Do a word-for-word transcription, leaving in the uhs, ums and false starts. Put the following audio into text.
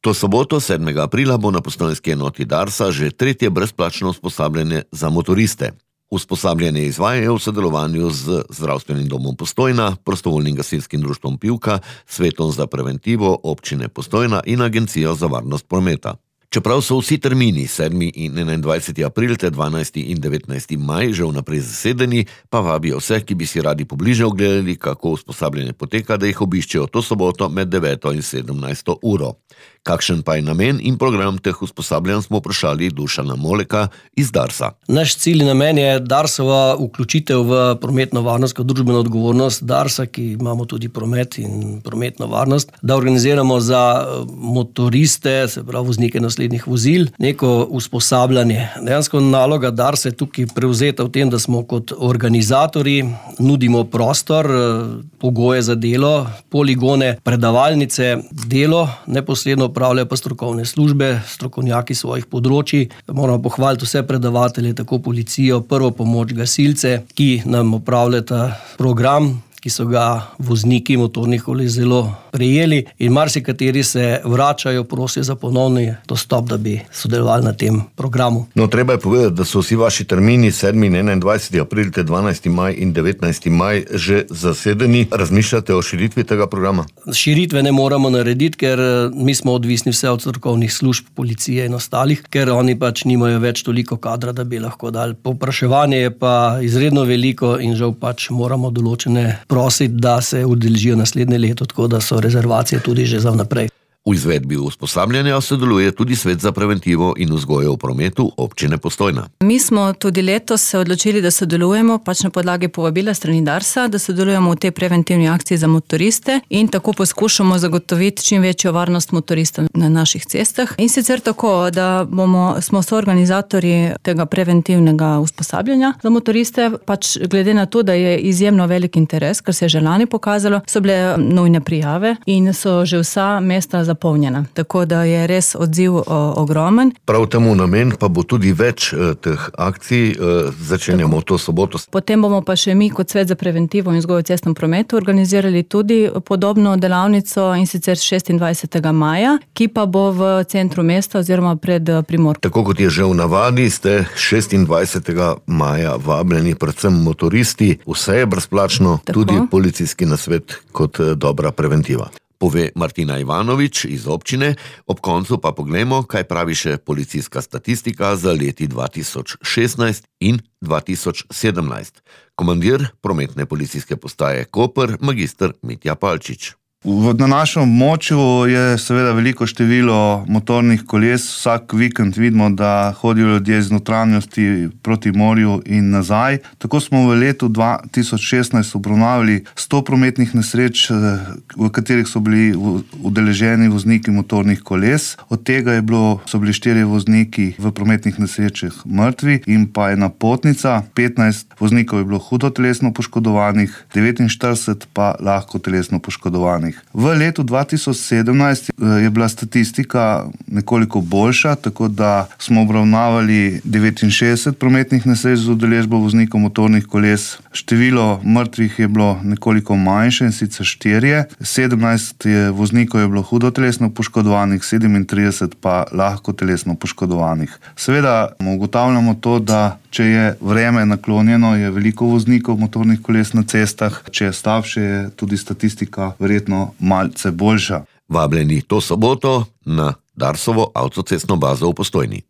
To soboto, sedmega aprila, bo na postojnski enoti Darsa že tretje brezplačno usposabljanje za motoriste. Usposabljanje izvajajo v sodelovanju z Zdravstvenim domom Postojna, Prostovoljnim gasilskim društvom Pivka, Svetom za preventivo občine Postojna in Agencijo za varnost prometa. Čeprav so vsi termini sedmi in enaindvajseti april ter dvanajsti in devetnajsti maj že vnaprej zasedeni, pa vabijo vse, ki bi si radi pobliže ogledali, kako usposabljanje poteka, da jih obiščejo to soboto med deveto in sedemnajsto uro. Kakšen pa je namen in program teh usposabljanj, smo vprašali Dušana Moleka iz Darsa. Naš cilj in namen je Darsova vključitev v prometno varnost kot družbeno odgovornost Darsa, ki imamo tudi promet in prometno varnost, da organiziramo za motoriste, se pravi voznike naslednjih vozil, neko usposabljanje. Dejansko naloga Darsa je tukaj prevzeta v tem, da smo kot organizatorji, nudimo prostor, pogoje za delo, poligone, predavalnice, delo, neposredno upravljajo pa strokovne službe, strokovnjaki svojih področij. Moramo pohvaliti vse predavatelje, tako policijo, prvo pomoč, gasilce, ki nam upravljata program, ki so ga vozniki motornih koles zelo prejeli in marsikateri se vračajo, prosijo za ponovni dostop, da bi sodelovali na tem programu. No, treba je povedati, da so vsi vaši termini sedmi in enaindvajseti april ter dvanajsti maj in devetnajsti maj že zasedeni. Razmišljate o širitvi tega programa? Širitve ne moramo narediti, ker mi smo odvisni vse od strokovnih služb, policije in ostalih, ker oni pač nimajo več toliko kadra, da bi lahko dali. Povpraševanje je pa izredno veliko in žal pač moramo določene prositi, da se udeležijo naslednje leto, tako da so rezervacije tudi že za vnaprej. V izvedbi usposabljanja sodeluje tudi Svet za preventivo in vzgojo v prometu občine Postojna. Mi smo tudi letos se odločili, da sodelujemo pač na podlagi povabila strani Darsa, da sodelujemo v tej preventivni akciji za motoriste in tako poskušamo zagotoviti čim večjo varnost motoristov na naših cestah. In sicer tako, da bomo, smo soorganizatorji tega preventivnega usposabljanja za motoriste, pač glede na to, da je izjemno velik interes, kar se je že lani pokazalo, so bile nujne prijave in so že vsa mesta za zapolnjena. Tako da je res odziv o, ogromen. Prav temu namen pa bo tudi več eh, teh akcij, eh, začenjamo to soboto. Potem bomo pa še mi kot Svet za preventivo in vzgojo v cestnem prometu organizirali tudi podobno delavnico in sicer šestindvajsetega maja, ki pa bo v centru mesta oziroma pred Primorkom. Tako kot je že v navadi, ste šestindvajsetega maja vabljeni predvsem motoristi, vse je brezplačno, Tako. Tudi policijski nasvet kot eh, dobra preventiva. Pove Martina Ivanovič iz občine, ob koncu pa poglejmo, kaj pravi še policijska statistika za leti dva tisoč šestnajst in dva tisoč sedemnajst. Komandir prometne policijske postaje Koper, magister Mitja Palčič. Na našem območju je seveda veliko število motornih koles. Vsak vikend vidimo, da hodijo ljudje iz notranjosti proti morju in nazaj. Tako smo v letu dva tisoč šestnajst obravnavali sto prometnih nesreč, v katerih so bili udeleženi vozniki motornih koles. Od tega je bilo, so bili štirje vozniki v prometnih nesrečah mrtvi in pa ena potnica. petnajst voznikov je bilo hudo telesno poškodovanih, devetinštirideset pa lahko telesno poškodovanih. V letu dva tisoč sedemnajst je bila statistika nekoliko boljša, tako da smo obravnavali devetinšestdeset prometnih nesreč z udeležbo voznikov motornih koles. Število mrtvih je bilo nekoliko manjše, in sicer štirje. sedemnajst je voznikov je bilo hudo telesno poškodovanih, sedemintrideset pa lahko telesno poškodovanih. Seveda ugotavljamo to, da če je vreme naklonjeno, je veliko voznikov motornih koles na cestah, če je slabše, je tudi statistika verjetno malce boljša. Vabljeni to soboto na Darsovo avtocestno bazo v Postojni.